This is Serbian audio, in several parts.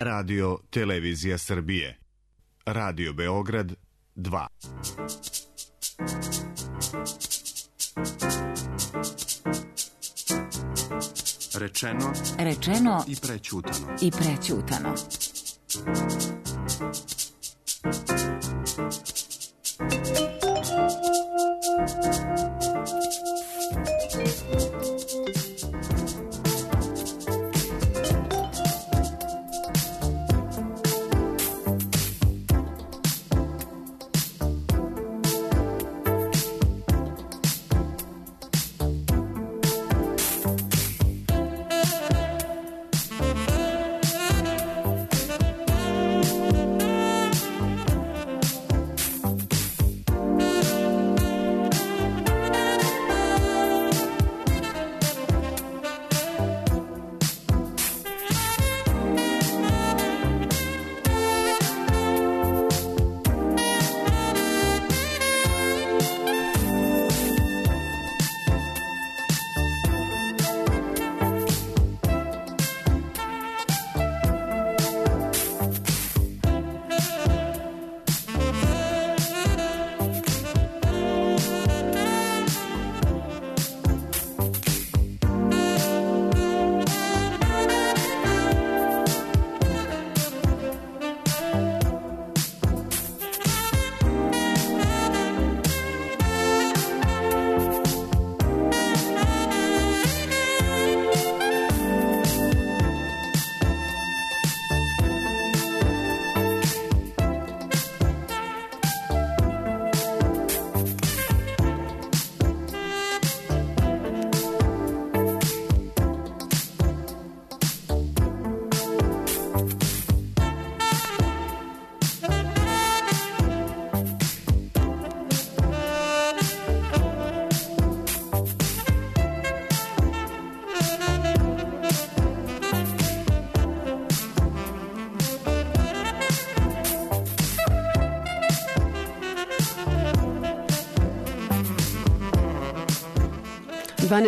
Radio Televizija Srbije. Radio Beograd 2. Rečeno i prećutano.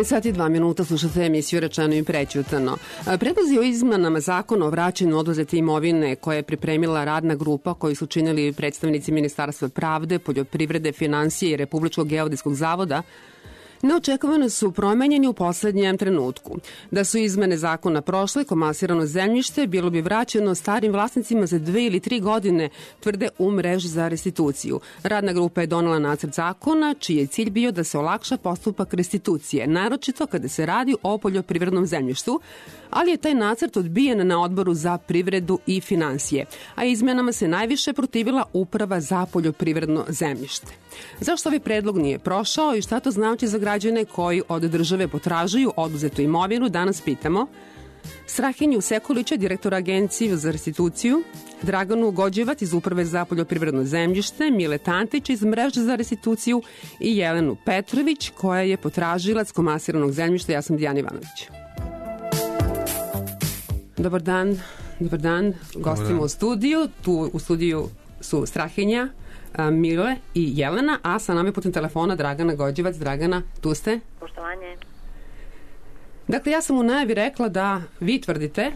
Sati i 2 minuta slušate emisiju Rečeno i prećutano. Predlozi o izmenama zakona o vraćanju oduzete imovine koje je pripremila radna grupa koju su činili predstavnici Ministarstva pravde, poljoprivrede, finansije i Republičkog geodetskog zavoda neočekivano su promenjeni u poslednjem trenutku. Da su izmene zakona prošle, komasirano zemljište bilo bi vraćeno starim vlasnicima za 2 ili 3 godine, tvrde u mreži za restituciju. Radna grupa je donela nacrt zakona, čiji je cilj bio da se olakša postupak restitucije, naročito kada se radi o poljoprivrednom zemljištu, ali je taj nacrt odbijen na Odboru za privredu i finansije, a izmenama se najviše protivila Uprava za poljoprivredno zemljište. Zašto ovaj predlog nije prošao i šta to znači za građane koji od države potražuju oduzetu imovinu, danas pitamo Strahinju Sekulića, direktora Agencije za restituciju, Draganu Gođevac iz Uprave za poljoprivredno zemljište, Mile Tantić iz mreže za restituciju i Jelenu Petrović, koja je potražilac komasiranog zemljišta. Ja sam Dijana Ivanović. Dobar dan, gostimo u studiju. Tu u studiju su Strahinja, Mile i Jelena, a sa nama je putem telefona Dragana Gođevac. Dragana, tu ste? Poštovanje. Dakle, ja sam u najavi rekla da vi tvrdite,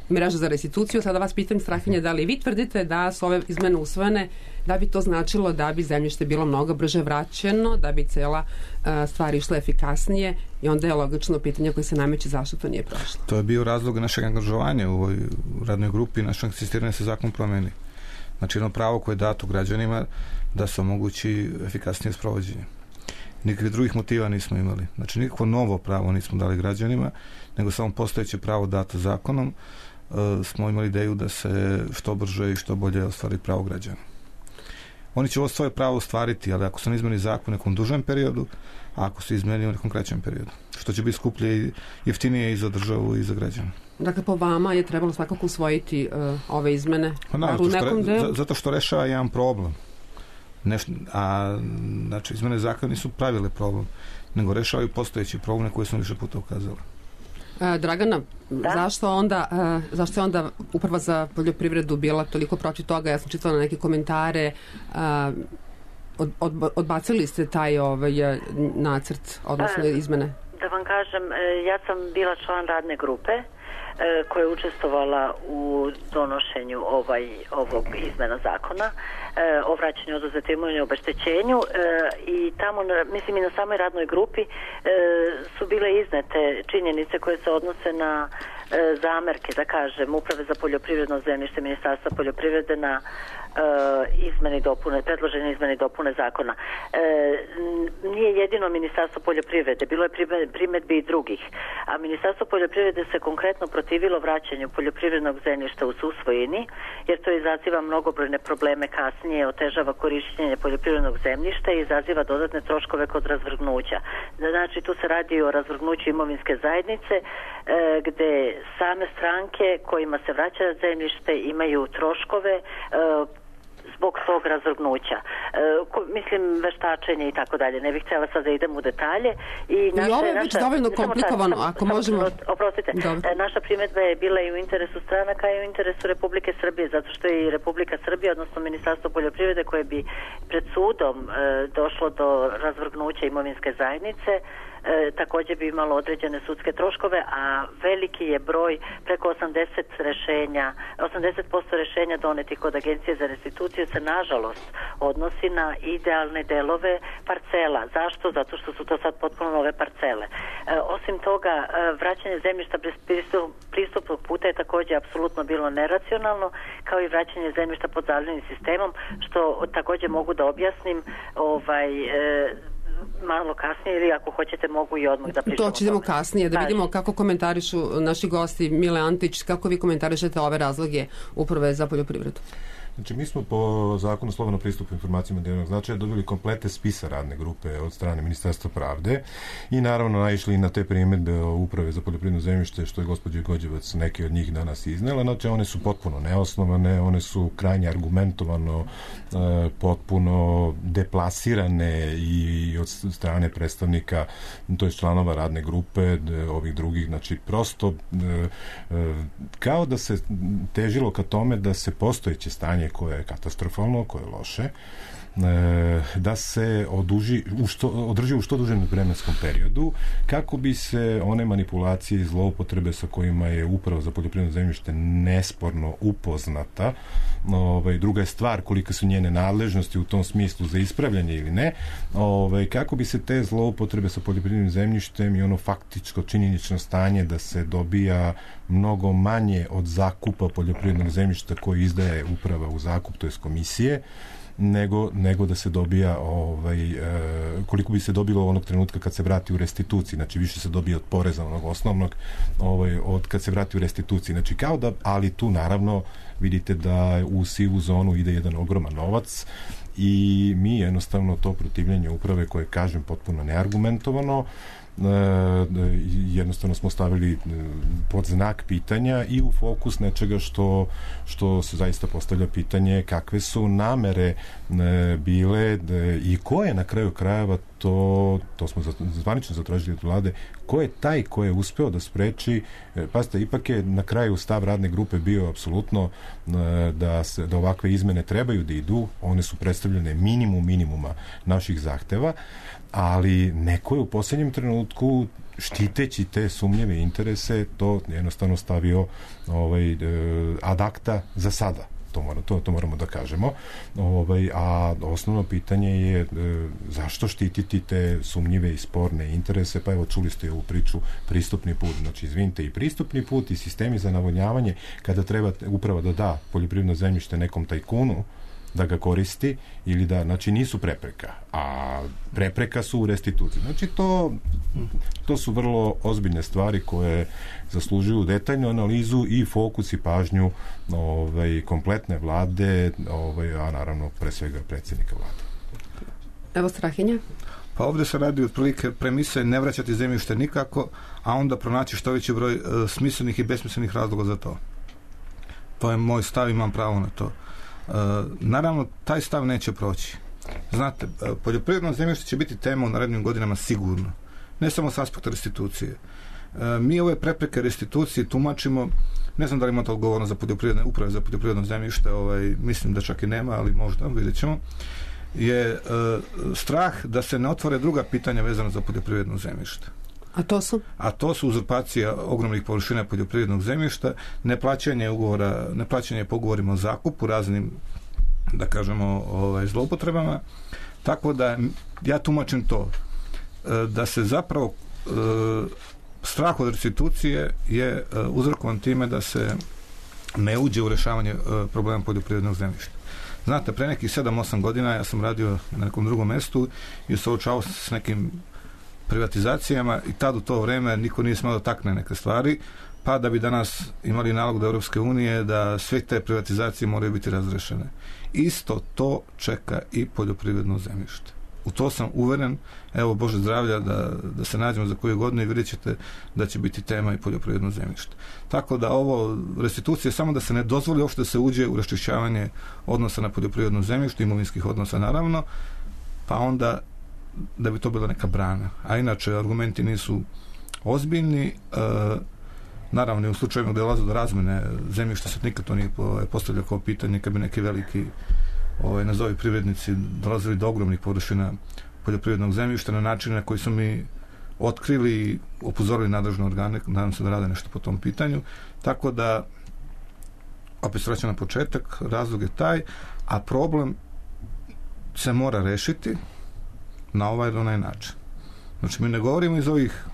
mreža za restituciju, sada vas pitam, Strahinja, da li vi tvrdite da su ove izmene usvojene, da bi to značilo da bi zemljište bilo mnogo brže vraćeno, da bi cela stvar išla efikasnije, i onda je logično pitanje koje se nameće zašto to nije prošlo. To je bio razlog našeg angažovanja u ovoj radnoj grupi, našeg insistiranja se zakon promeni. Znači jedno pravo koje je dato građanima da se omogući efikasnije sprovođenje. Nikakvih drugih motiva nismo imali. Znači nikakvo novo pravo nismo dali građanima, nego samo postojeće pravo dato zakonom smo imali ideju da se što brže i što bolje ostvari pravo građana. Oni će ovo svoje pravo ostvariti, ali ako se ne izmeni zakon u nekom dužem periodu, a ako se izmeni u nekom kraćem periodu, što će biti skuplje i jeftinije i za državu i za građana. Dakle, po vama je trebalo svakako usvojiti ove izmene? Zato što rešava jedan problem. Znači, izmene zakona nisu pravile problem, nego rešavaju postojeći probleme koje smo više puta ukazali. Dragana, zašto je onda Uprava za poljoprivredu bila toliko protiv toga? Ja sam čitala neke komentare, odbacili ste taj nacrt, odnosno izmene. Da vam kažem, ja sam bila član radne grupe koja je učestvovala u donošenju ovog izmena zakona o vraćanju oduzete imovine i obeštećenju i tamo, mislim i na samoj radnoj grupi su bile iznete činjenice koje se odnose na zamerke, da kažem, Uprave za poljoprivredno zemljište Ministarstva poljoprivrede na predložene izmene i dopune zakona. Nije jedino Ministarstvo poljoprivrede, bilo je primedbi i drugih, a Ministarstvo poljoprivrede se konkretno protivilo vraćanju poljoprivrednog zemljišta u susvojini, jer to izaziva mnogobrojne probleme kasnije, otežava korišćenje poljoprivrednog zemljišta i izaziva dodatne troškove kod razvrgnuća. Znači, tu se radi o razvrgnuću imovinske zajednice, gde same stranke kojima se vraća zemljište imaju troškove zbog tog razvrgnuća. Mislim, veštačenje i tako dalje. Ne bih htjela sad da idem u detalje. I ovo je već dovoljno komplikovano, ako možemo... Oprostite, naša primedba je bila i u interesu stranaka i u interesu Republike Srbije, zato što je i Republika Srbija, odnosno Ministarstvo poljoprivrede, koje bi pred sudom došlo do razvrgnuća imovinske zajednice, također bi imalo određene sudske troškove, a veliki je broj, preko 80% rešenja donetih kod Agencije za restituciju se nažalost odnosi na idealne delove parcela. Zašto? Zato što su to sad potpuno nove parcele. Osim toga, vraćanje zemljišta bez pristupnog puta je također apsolutno bilo neracionalno, kao i vraćanje zemljišta pod zalivnim sistemom, što također mogu da objasnim malo kasnije, ili ako hoćete mogu i odmah da pričamo. To ćemo kasnije, da vidimo kako komentarišu naši gosti. Mile Antić, kako vi komentarišete ove razloge Uprave za poljoprivredu? Znači, mi smo po zakonu o slobodnom pristupu informacijama od javnog značaja dobili komplete spisa radne grupe od strane Ministarstva pravde i naravno naišli na te primedbe o Uprave za poljoprivredno zemljište, što je gospođa Gođevac neke od njih danas iznela. Znači, one su potpuno neosnovane, one su krajnje argumentovano potpuno deplasirane i od strane predstavnika, to je članova radne grupe, ovih drugih, znači prosto kao da se težilo ka tome da se postojeće stanje koje je katastrofalno, koje je loše, da se održi u što dužem vremenskom periodu, kako bi se one manipulacije i zloupotrebe sa kojima je Uprava za poljoprivredno zemljište nesporno upoznata, druga je stvar koliko su njene nadležnosti u tom smislu za ispravljanje ili ne, kako bi se te zloupotrebe sa poljoprivrednim zemljištem i ono faktičko činjenično stanje da se dobija mnogo manje od zakupa poljoprivrednog zemljišta koji izdaje Uprava u zakup, to je komisije, nego da se dobija koliko bi se dobilo onog trenutka kad se vrati u restituciji, znači više se dobija od poreza onog osnovnog od kad se vrati u restituciji, znači kao da, ali tu naravno vidite da u sivu zonu ide jedan ogroman novac i mi jednostavno to protivljenje uprave koje kažem potpuno neargumentovano jednostavno smo stavili pod znak pitanja i u fokus nečega što se zaista postavlja pitanje kakve su namere bile i ko je na kraju krajeva to smo zvanično zatražili od vlade, ko je taj ko je uspeo da spreči, pazite, ipak je na kraju stav radne grupe bio apsolutno da ovakve izmene trebaju da idu, one su predstavljene minimuma naših zahteva, ali neko je u posljednjem trenutku štiteći te sumnjeve interese to jednostavno stavio ad acta za sada. To moramo da kažemo. A osnovno pitanje je zašto štititi te sumnjive i sporne interese, pa evo čuli ste ovu priču pristupni put, znači izvinite i pristupni put i sistemi za navodnjavanje kada treba uprava da da poljoprivredno zemljište nekom tajkunu da ga koristi ili da, znači nisu prepreka, a prepreka su u restituciji. Znači to su vrlo ozbiljne stvari koje zaslužuju detaljnu analizu i fokus i pažnju kompletne vlade, a naravno pre svega predsjednika vlade. Evo Strahinja. Pa ovdje se radi otprilike premise ne vraćati zemljište nikako, a onda pronaći što veći broj smislenih i besmislenih razloga za to. To je moj stav, imam pravo na to. Naravno, taj stav neće proći. Znate, poljoprivredno zemljište će biti tema u narednim godinama sigurno. Ne samo s aspekta restitucije. Mi ove prepreke restitucije tumačimo, ne znam da li imate odgovornost za poljoprivredne uprave za poljoprivredno zemljište, mislim da čak i nema, ali možda, vidjet ćemo, je strah da se ne otvore druga pitanja vezana za poljoprivredno zemljište. A to su? A to su uzurpacija ogromnih površina poljoprivrednog zemljišta, neplaćanje po ugovorima o zakupu, raznim, da kažemo, zloupotrebama. Tako da ja tumačim to, da se zapravo strah od restitucije je uzrokovan time da se ne uđe u rješavanje problema poljoprivrednog zemljišta. Znate, pre nekih 7-8 godina ja sam radio na nekom drugom mestu i suočavao se s nekim privatizacijama i tad u to vreme niko nije smelo takne neke stvari, pa da bi danas imali nalog do Europske unije da sve te privatizacije moraju biti razrešene. Isto to čeka i poljoprivredno zemljište. U to sam uveren, evo Bože zdravlja da se nađemo za koju godinu i vidjet ćete da će biti tema i poljoprivredno zemljište. Tako da ovo restitucija samo da se ne dozvoli uopšte da se uđe u raščišćavanje odnosa na poljoprivredno zemljište, imovinskih odnosa naravno, pa onda da bi to bila neka brana. A inače argumenti nisu ozbiljni, naravno u slučajevima gdje dolazi do razmene zemljišta se nikad to nije postavljalo kao pitanje kad bi neki veliki nazovi privrednici dolazili do ogromnih površina poljoprivrednog zemljišta na način na koji su mi otkrili i upozorili nadležne organe, nadam se da rade nešto po tom pitanju. Tako da opet vraćam na početak, razlog je taj, a problem se mora rešiti na ovaj ili onaj način. Znači mi ne govorimo iz ovih,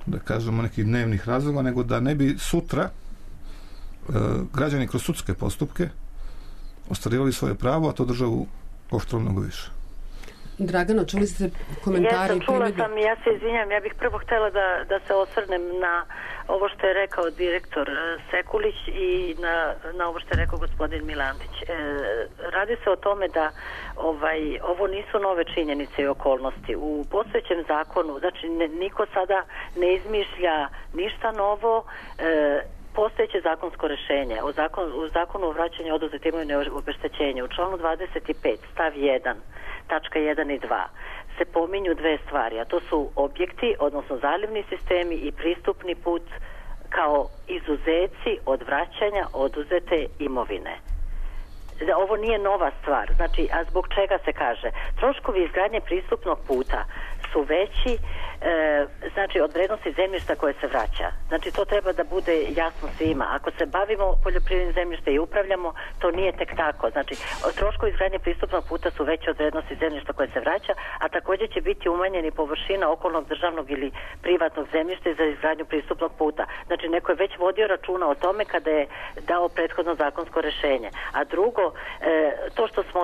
da kažemo, nekih dnevnih razloga, nego da ne bi sutra građani kroz sudske postupke ostvarivali svoje pravo, a to državu koštalo mnogo više. Dragano, čuli ste komentari? Čula sam, ja se izvinjam, ja bih prvo htjela da se osvrnem na ovo što je rekao direktor Sekulić i na ovo što je rekao gospodin Milandić. Radi se o tome da ovo nisu nove činjenice i okolnosti. U postojećem zakonu, znači niko sada ne izmišlja ništa novo, postojeće zakonsko rješenje u zakonu o vraćanju oduzete imovine obeštećenja u članu 25 stav 1 tačka 1 i 2 se pominju dve stvari, a to su objekti, odnosno zalivni sistemi i pristupni put kao izuzeci od vraćanja oduzete imovine. Ovo nije nova stvar, znači, a zbog čega se kaže? Troškovi izgradnje pristupnog puta su veći, znači od vrednosti zemljišta koje se vraća. Znači to treba da bude jasno svima. Ako se bavimo poljoprivrednim zemljištem i upravljamo, to nije tek tako. Znači troškovi izgradnje pristupnog puta su veći od vrednosti zemljišta koje se vraća, a također će biti umanjeni površina okolnog državnog ili privatnog zemljišta za izgradnju pristupnog puta. Znači neko je već vodio računa o tome kada je dao prethodno zakonsko rješenje. A drugo, to što smo,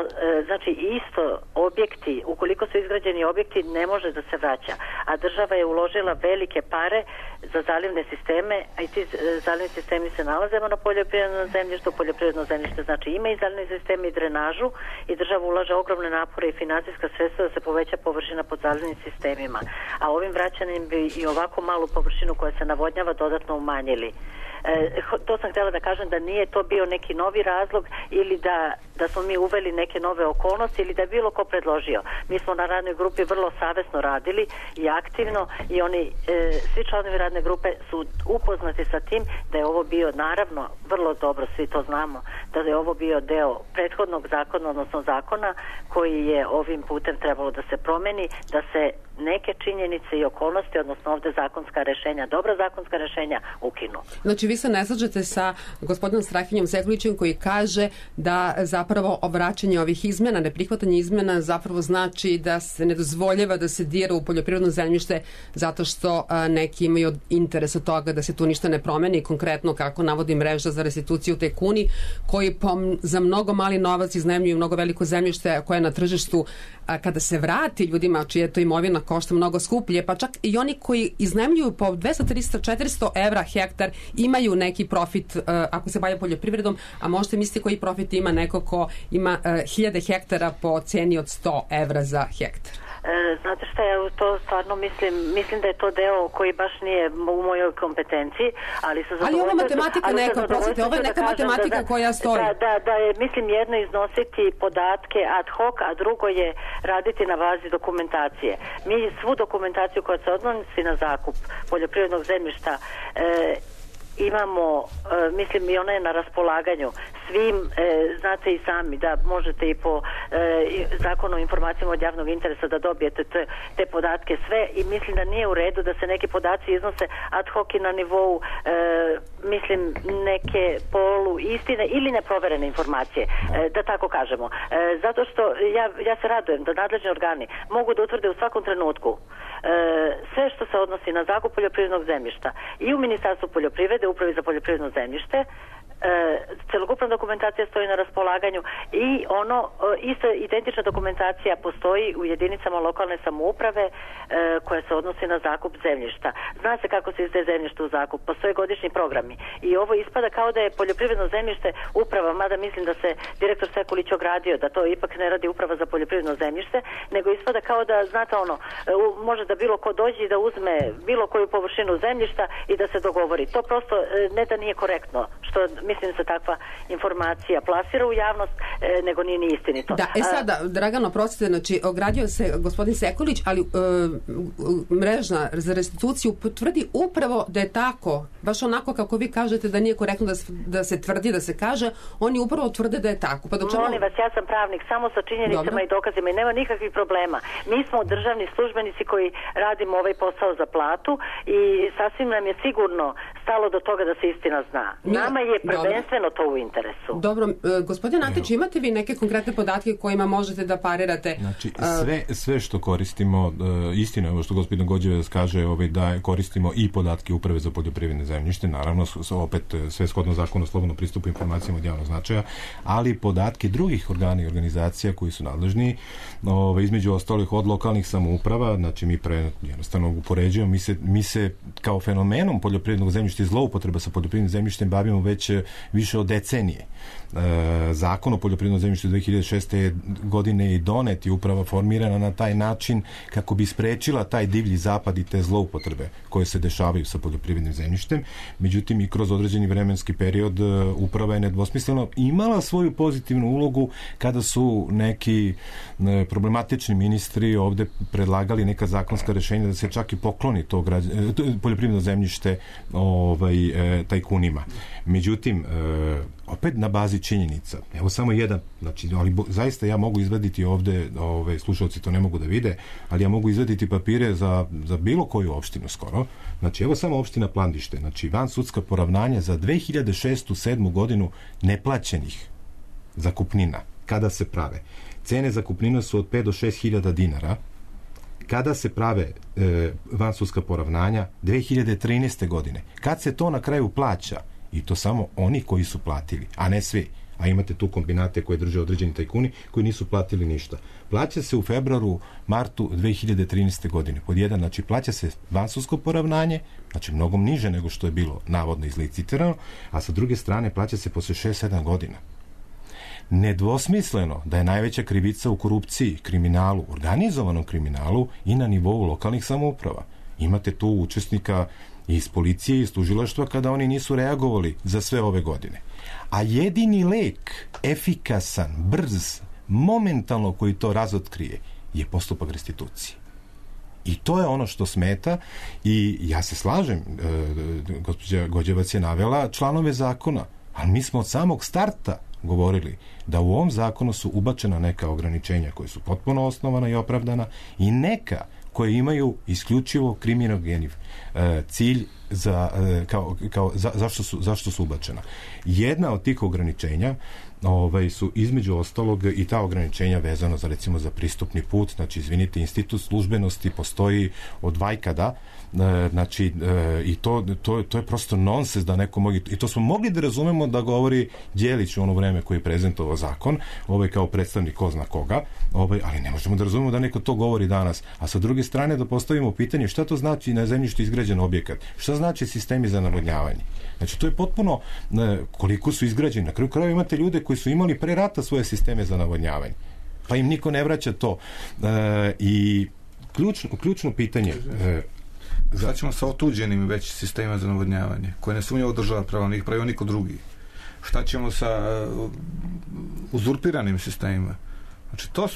znači isto objekti, ukoliko su izgrađeni objekti, ne može da se vraća. A država je uložila velike pare za zalivne sisteme, a i ti zalivni sistemi se nalazemo na poljoprivrednom zemljištu. Poljoprivredno zemljište znači ima i zalivni sistem i drenažu i država ulaže ogromne napore i financijska sredstva da se poveća površina pod zalivnim sistemima. A ovim vraćanjem bi i ovako malu površinu koja se navodnjava dodatno umanjili. To sam htjela da kažem da nije to bio neki novi razlog ili da smo mi uveli neke nove okolnosti ili da je bilo ko predložio. Mi smo na radnoj grupi vrlo savesno radili i aktivno i oni, svi članovi radne grupe su upoznati sa tim da je ovo bio, naravno, vrlo dobro, svi to znamo, da je ovo bio deo prethodnog zakona, odnosno zakona koji je ovim putem trebalo da se promeni, da se neke činjenice i okolnosti, odnosno ovde zakonska rešenja, dobra zakonska rešenja ukinu. Znači vi se ne slažete sa gospodinom Strahinjom Sekulićem koji kaže da zapravo vraćanje ovih izmena, neprihvatanje izmena zapravo znači da se ne dozvoljava da se dira u poljoprivredno zemljište zato što neki imaju interes od toga da se tu ništa ne promeni, konkretno kako navodi mreža za restituciju tajkuni koji za mnogo mali novac iznajmljuju mnogo veliko zemljište koje na tržištu kada se vrati ljudima čija je to imovina košta mnogo skuplje, pa čak i oni koji iznajmljuju po 200, 300, 400 evra hektar imaju neki profit ako se bavio poljoprivredom, a možete misliti koji profit ima neko ko ima 1000 hektara po ceni od 100 evra za hektar. Znate šta, ja to stvarno mislim da je to deo koji baš nije u mojoj kompetenciji, ali ovo matematika neka, prosite, ovo je neka matematika koja stoji. Da je, mislim, jedno iznositi podatke ad hoc, a drugo je raditi na bazi dokumentacije. Mi svu dokumentaciju koja se odnosi na zakup poljoprivrednog zemljišta imamo, mislim, i ona je na raspolaganju svim, znate i sami da možete i po Zakon o informacijama od javnog interesa da dobijete te podatke sve i mislim da nije u redu da se neki podaci iznose ad hoc i na nivou mislim neke polu istine ili neproverene informacije, da tako kažemo. Zato što ja se radujem da nadležni organi mogu da utvrde u svakom trenutku sve što se odnosi na zakup poljoprivrednog zemljišta i u Ministarstvu poljoprivrede, Upravi za poljoprivredno zemljište, celokupna dokumentacija stoji na raspolaganju i isto identična dokumentacija postoji u jedinicama lokalne samouprave koja se odnosi na zakup zemljišta. Zna se kako se izdaje zemljište u zakup, postoje godišnji programi i ovo ispada kao da je poljoprivredno zemljište uprava, mada mislim da se direktor Sekulić ogradio da to ipak ne radi Uprava za poljoprivredno zemljište, nego ispada kao da, znate može da bilo ko dođe i da uzme bilo koju površinu zemljišta i da se dogovori. To prosto ne da nije korektno, što mislim da se takva informacija plasira u javnost, nego nije ni istinito. Da, sada, Dragano, prostite, znači, ogradio se gospodin Sekulić, ali mrežna za restituciju potvrdi upravo da je tako, baš onako kako vi kažete da nije korektno da se tvrdi, da se kaže, oni upravo tvrde da je tako. Pa Molim vas, ja sam pravnik, samo sa činjenicama i dokazima i nema nikakvih problema. Mi smo državni službenici koji radimo ovaj posao za platu i sasvim nam je sigurno stalo do toga da se istina zna. Nama je prvenstveno to u interesu. Dobro, gospodin Antić, imate vi neke konkretne podatke kojima možete da parirate? Znači, sve što koristimo, istina je ovo što gospodin Gođevac kaže, da koristimo i podatke Uprave za poljoprivredne zemljište, naravno, opet sve shodno Zakonu o slobodnom pristupu informacijama od javnog značaja, ali podatke drugih organa i organizacija koji su nadležni, između ostalih od lokalnih samouprava, znači mi jednostavno upoređujemo, mi se kao fenomenom poljoprivrednog zemljišta i zloupotreba sa poljoprivrednim zemljištem bavimo već više od decenije. Zakon o poljoprivrednom zemljištu 2006. godine i donet i uprava formirana na taj način kako bi sprečila taj divlji zapad i te zloupotrebe koje se dešavaju sa poljoprivrednim zemljištem. Međutim, i kroz određeni vremenski period uprava je nedvosmisleno imala svoju pozitivnu ulogu kada su neki problematični ministri ovde predlagali neka zakonska rešenja da se čak i pokloni to poljoprivredno zemljište tajkunima. Međutim, opet na bazi činjenica. Evo samo jedan, znači, ali zaista ja mogu izvaditi ovde, slušalci to ne mogu da vide, ali ja mogu izvaditi papire za bilo koju opštinu skoro. Znači, evo samo opština Plandište, znači van sudska poravnanja za 2006-2007 godinu neplaćenih zakupnina. Kada se prave? Cene zakupnina su od 5 do 6 hiljada dinara. Kada se prave vansudska poravnanja? 2013. godine. Kad se to na kraju plaća? I to samo oni koji su platili, a ne svi. A imate tu kombinate koje drže određeni tajkuni koji nisu platili ništa. Plaća se u februaru, martu 2013. godine. Pod jedan, znači plaća se vansudsko poravnanje, znači mnogo niže nego što je bilo navodno izlicitirano, a sa druge strane plaća se posle 6-7 godina. Nedvosmisleno da je najveća krivica u korupciji, kriminalu, organizovanom kriminalu i na nivou lokalnih samouprava. Imate tu učesnika iz policije i iz tužilaštva kada oni nisu reagovali za sve ove godine. A jedini lek, efikasan, brz, momentalno koji to razotkrije, je postupak restitucije. I to je ono što smeta i ja se slažem, gospođa Gođevac je navela članove zakona, ali mi smo od samog starta govorili da u ovom zakonu su ubačena neka ograničenja koje su potpuno osnovana i opravdana i neka koje imaju isključivo kriminogeni cilj zašto su ubačena. Jedna od tih ograničenja su između ostalog i ta ograničenja vezano za recimo za pristupni put, znači izvinite, institut službenosti postoji od vajkada, znači i to je prosto nonsens da neko mogu, i to smo mogli da razumemo da govori Đelić u ono vreme koji je prezentovao zakon, kao predstavnik ko zna koga, ali ne možemo da razumemo da neko to govori danas, a sa druge strane da postavimo pitanje šta to znači na zemljištu izgrađen objekat, šta znači sistemi za navodnjavanje. Znači to je potpuno koliko su izgrađeni. Na kraju krajeva imate ljude koji su imali pre rata svoje sisteme za navodnjavanje. Pa im niko ne vraća to. I ključno pitanje... Šta ćemo sa otuđenim već sistema za navodnjavanje, koje ne sumnjivo država prava, ne ih pravio niko drugi? Šta ćemo sa uzurpiranim sistemima? Znači, to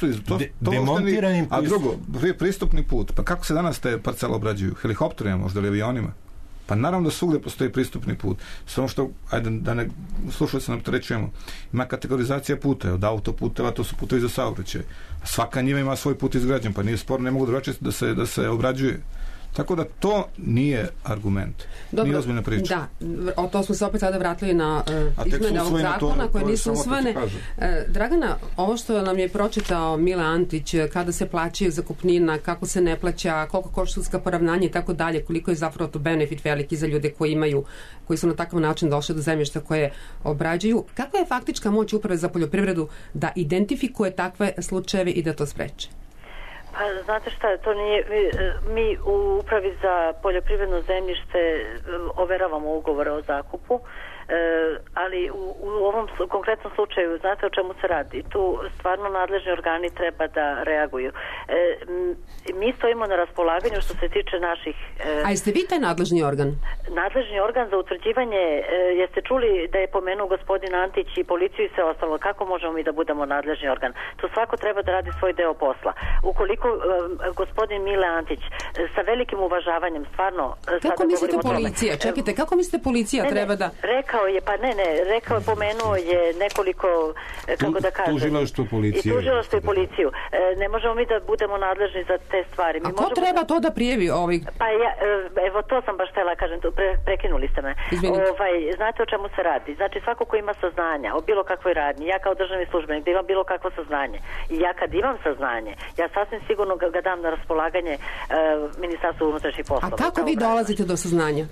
demontiranim... A drugo, pristupni put. Pa kako se danas te parcele obrađuju? Helikopterima, možda li avionima? Pa naravno da svugde postoji pristupni put. Samo što, ajde da ne slušalce nam trećujemo, ima kategorizacija puta, od autoputeva, to su putevi za saobraćaj. Svaka njiva ima svoj put izgrađen, pa nije sporno, ne mogu drugačije da se obrađuje. Tako da to nije argument. Dobro, nije ozbiljna priča. Da, o to smo se opet sada vratili na izmene ovog zakona koje nisu usvojene. Dragana, ovo što nam je pročitao Mile Antić, kada se plaćaju zakupnina, kako se ne plaća, koliko košta sudska poravnanja i tako dalje, koliko je zapravo to benefit veliki za ljude koji su na takav način došli do zemljišta koje obrađuju. Kakva je faktička moć Uprave za poljoprivredu da identifikuje takve slučajeve i da to spreči? Pa znate šta, to nije, mi u Upravi za poljoprivredno zemljište overavamo ugovore o zakupu, ali u ovom konkretnom slučaju znate o čemu se radi. Tu stvarno nadležni organi treba da reaguju. Mi stojimo na raspolaganju što se tiče naših... A jeste vi taj nadležni organ? Nadležni organ za utvrđivanje, jeste čuli da je pomenuo gospodin Antić i policiju i sve ostalo, kako možemo mi da budemo nadležni organ? Tu svako treba da radi svoj deo posla. Ukoliko gospodin Mile Antić sa velikim uvažavanjem stvarno... Kako mislite policija? Čekajte, kako mislite policija treba da... Rekao je, pomenuo je nekoliko, kako da kažem... Tužilaštvo policije. I tužilaštvo i policiju. Ne možemo mi da budemo nadležni za te stvari. A ko treba to da prijevi ovih? Pa evo to sam baš htjela kažem, prekinuli ste me. Znate o čemu se radi? Znači svako ko ima saznanja o bilo kakvoj radnji, ja kao državni službenik da imam bilo kakvo saznanje i ja kad imam saznanje, ja sasvim sigurno ga dam na raspolaganje Ministarstvu unutrašnjih poslova. A kako vi dolazite do saznanja?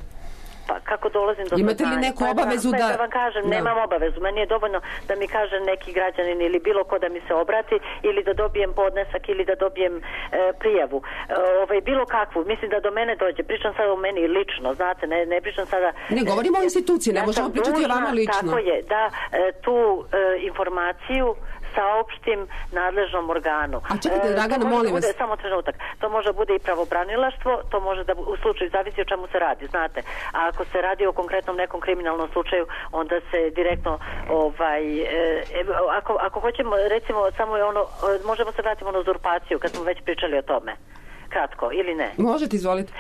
Pa kako dolazim do saznanja? Imate li neku obavezu da... Da vam kažem, nemam obavezu. Meni je dovoljno da mi kaže neki građanin ili bilo ko da mi se obrati ili da dobijem podnesak ili da dobijem prijavu. Bilo kakvu. Mislim da do mene dođe. Pričam sada o meni lično, znate, ne pričam sada... Ne govorimo o instituciji, ne možemo pričati o vama lično. Tako je, da tu informaciju saopštim nadležnom organu. A čekajte, Dragana, molim vas. Samo trenutak. To može bude i pravobranilaštvo, to može da u slučaju zavisi o čemu se radi, znate. A ako se radi o konkretnom nekom kriminalnom slučaju, onda se direktno ako hoćemo, recimo, samo je ono, možemo se vratiti na uzurpaciju, kad smo već pričali o tome. Kratko, ili ne? Možete, izvolite.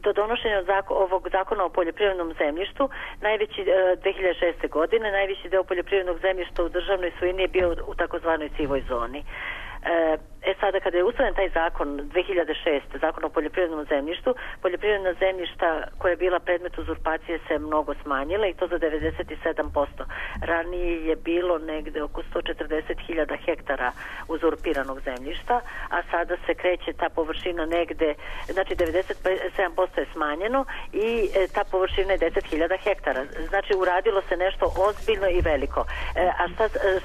Do donošenja ovog zakona o poljoprivrednom zemljištu, najveći 2006. godine, najveći deo poljoprivrednog zemljišta u državnoj svojini je bio u takozvanoj sivoj zoni. Sada kada je usvojen taj zakon 2006. zakon o poljoprivrednom zemljištu, poljoprivredna zemljišta koja je bila predmet uzurpacije se mnogo smanjila i to za 97%. Ranije je bilo negde oko 140.000 hektara uzurpiranog zemljišta, a sada se kreće ta površina negde, znači 97% je smanjeno i ta površina je 10.000 hektara. Znači uradilo se nešto ozbiljno i veliko. A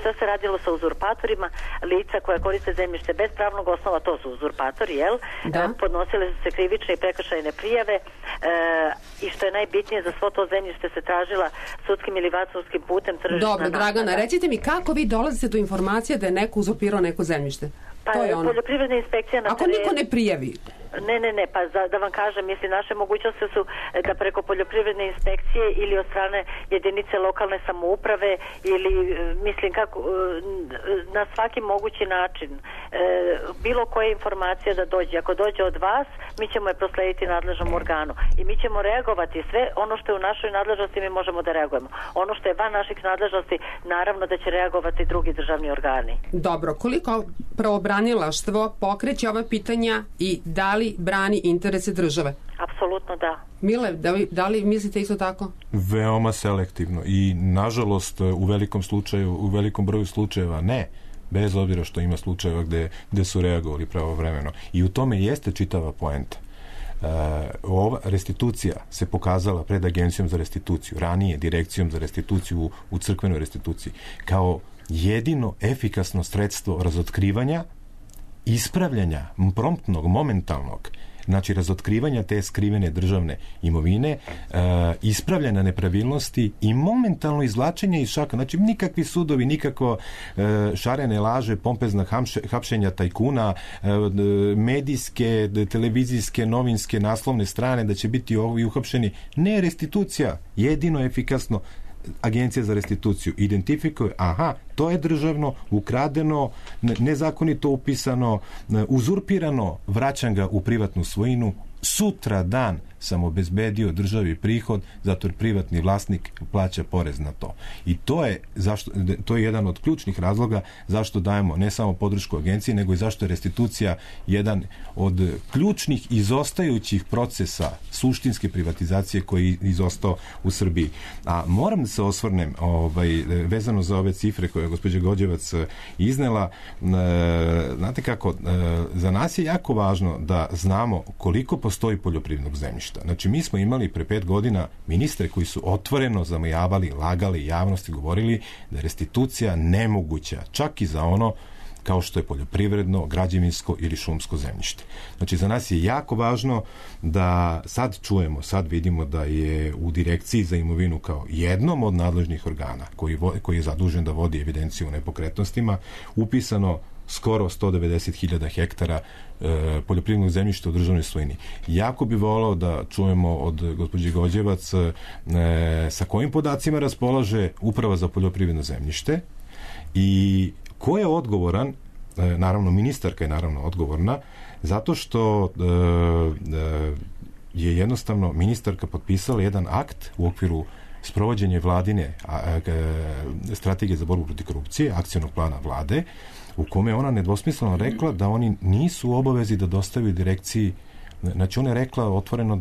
šta se radilo sa uzurpatorima? Lica koja koriste zemljište bez pravnog osnova, to su uzurpatori, jel? Da. Podnosile su se krivične i prekršajne prijave i što je najbitnije, za svo to zemljište se tražila sudskim ili vansudskim putem tržišna naknada. Dobro, Dragana, recite mi kako vi dolazite do informacije da je neko uzurpirao neko zemljište? Pa poljoprivredna inspekcija na terenu... Ako niko ne prijavi? Ne, pa da vam kažem, mislim, naše mogućnosti su da preko poljoprivredne inspekcije ili od strane jedinice lokalne samouprave ili, mislim, kako, na svaki mogući način bilo koja informacija da dođe. Ako dođe od vas, mi ćemo je proslediti nadležnom organu i mi ćemo reagovati sve ono što je u našoj nadležnosti, mi možemo da reagujemo. Ono što je van naših nadležnosti, naravno da će reagovati drugi državni organi. Dobro, koliko pravobranilaštvo pokreće ova pitanja i da li brani interese države? Apsolutno da. Mile, da li mislite isto tako? Veoma selektivno i nažalost u velikom broju slučajeva ne, bez obzira što ima slučajeva gde su reagovali pravovremeno. I u tome jeste čitava poenta. Ova restitucija se pokazala pred Agencijom za restituciju, ranije Direkcijom za restituciju u crkvenoj restituciji, kao jedino efikasno sredstvo razotkrivanja, ispravljanja promptnog, momentalnog, znači razotkrivanja te skrivene državne imovine, ispravljanja nepravilnosti i momentalno izvlačenje iz šaka. Znači nikakvi sudovi, nikako šarene laže, pompezna hapšenja tajkuna, medijske, televizijske, novinske, naslovne strane da će biti ovi uhapšeni. Ne, restitucija, jedino efikasno. Agencija za restituciju identifikuje, to je državno, ukradeno, nezakonito upisano, uzurpirano, vraćam ga u privatnu svojinu, sutra dan sam obezbedio državi prihod zato jer privatni vlasnik plaća porez na to. I to je jedan od ključnih razloga zašto dajemo ne samo podršku agenciji, nego i zašto je restitucija jedan od ključnih izostajućih procesa suštinske privatizacije koji je izostao u Srbiji. A moram da se osvrnem vezano za ove cifre koje je gospođa Gođevac iznela. Znate kako, za nas je jako važno da znamo koliko postoji poljoprivrednog zemljišta. Znači, mi smo imali pre 5 godina ministre koji su otvoreno zamajavali, lagali javnosti, govorili da je restitucija nemoguća, čak i za ono kao što je poljoprivredno, građevinsko ili šumsko zemljište. Znači, za nas je jako važno da sad čujemo, sad vidimo da je u Direkciji za imovinu kao jednom od nadležnih organa koji je zadužen da vodi evidenciju o nepokretnostima, upisano skoro 190.000 hektara poljoprivrednog zemljišta u državnoj svojini. Jako bi volao da čujemo od gospođe Gođevac sa kojim podacima raspolaže Uprava za poljoprivredno zemljište i ko je odgovoran, naravno ministarka je naravno odgovorna, zato što je jednostavno ministarka potpisala jedan akt u okviru sprovođenja vladine strategije za borbu protiv korupcije, akcionog plana vlade, u kome ona nedvosmisleno rekla da oni nisu u obavezi da dostavaju direkciji. Znači, ona je rekla otvoreno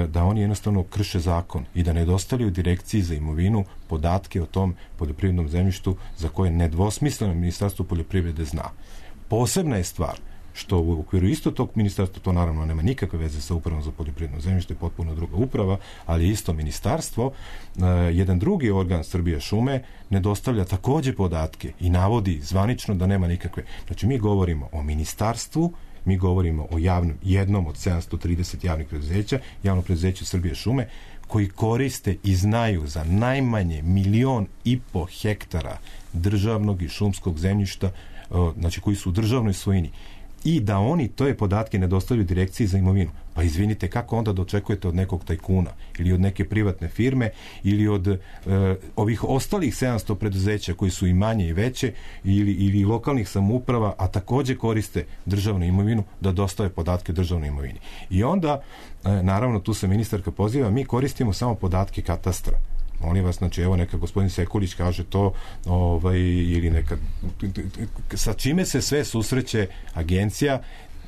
da oni jednostavno krše zakon i da ne dostavljaju Direkciji za imovinu podatke o tom poljoprivrednom zemljištu za koje nedvosmisleno Ministarstvo poljoprivrede zna. Posebna je stvar što u okviru isto tog ministarstva, to naravno nema nikakve veze sa Upravom za poljoprivredno zemljište, potpuno druga uprava, ali isto ministarstvo, jedan drugi organ Srbije šume ne dostavlja takođe podatke i navodi zvanično da nema nikakve. Znači, mi govorimo o ministarstvu, mi govorimo o jednom od 730 javnih preduzeća, javno preduzeće Srbije šume, koji koriste i znaju za najmanje 1,5 miliona hektara državnog i šumskog zemljišta, znači koji su u državnoj svojini. I da oni to podatke ne dostavljaju Direkciji za imovinu. Pa izvinite, kako onda da očekujete od nekog tajkuna ili od neke privatne firme ili od ovih ostalih 700 preduzeća koji su i manje i veće ili lokalnih samouprava, a takođe koriste državnu imovinu, da dostave podatke državnoj imovini. I onda, naravno, tu se ministarka poziva, mi koristimo samo podatke katastra. Molim vas, znači, evo neka gospodin Sekulić kaže to, ili neka, sa čime se sve susreće agencija,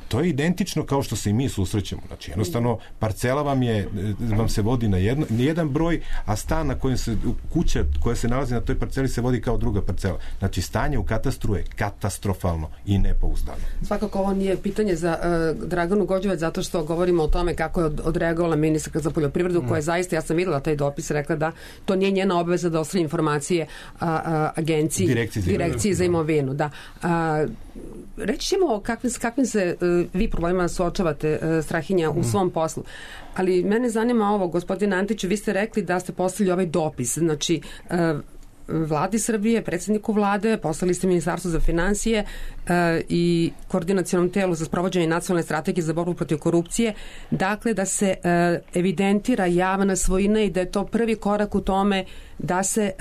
to je identično kao što se i mi susrećemo. Znači, jednostavno, parcela vam se vodi na jedan broj, a stan na kojem se, kuća koja se nalazi na toj parceli se vodi kao druga parcela. Znači, stanje u katastru je katastrofalno i nepouzdano. Svakako, ovo nije pitanje za Draganu Gođevac, zato što govorimo o tome kako je odreagovala ministarka za poljoprivredu, koja je zaista, ja sam videla taj dopis, rekla da to nije njena obaveza da ostavi informacije agenciji, Direkciji za imovinu. Da. Reći ćemo kakvim se vi problemima suočavate, Strahinja, u svom poslu. Ali mene zanima ovo, gospodine Antiću, vi ste rekli da ste poslali ovaj dopis. Znači, Vladi Srbije, predsjedniku vlade, poslali ste Ministarstvu za finansije i Koordinacionom telu za sprovođenje nacionalne strategije za borbu protiv korupcije. Dakle, da se evidentira javna svojina i da je to prvi korak u tome da se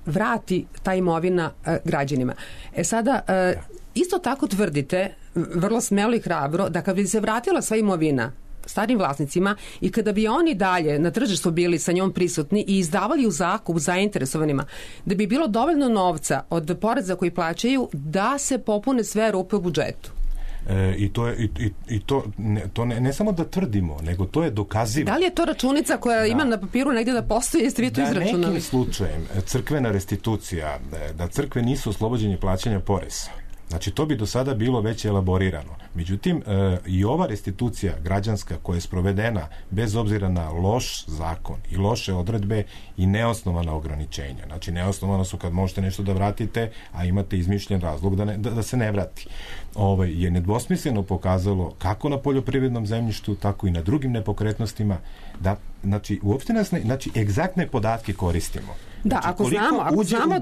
vrati ta imovina građanima. Sada, isto tako tvrdite, vrlo smelo i hrabro, da kad bi se vratila sva imovina starim vlasnicima i kada bi oni dalje na tržištu bili sa njom prisutni i izdavali u zakup zainteresovanima, da bi bilo dovoljno novca od poreza koji plaćaju da se popune sve rupe u budžetu. To ne samo da tvrdimo, nego to je dokazivo. Da li je to računica koja ima na papiru negdje da postoji, jeste vi to izračunali? Da nekim slučajem crkvena restitucija, da crkve nisu oslobođenje plaćanja poreza, znači, to bi do sada bilo već elaborirano. Međutim, i ova restitucija građanska koja je sprovedena bez obzira na loš zakon i loše odredbe i neosnovana ograničenja. Znači, neosnovano su kad možete nešto da vratite, a imate izmišljen razlog da se ne vrati. Je nedvosmisleno pokazalo kako na poljoprivrednom zemljištu, tako i na drugim nepokretnostima, da, znači, uopšte znači, egzaktne podatke koristimo. Da, znači, ako znamo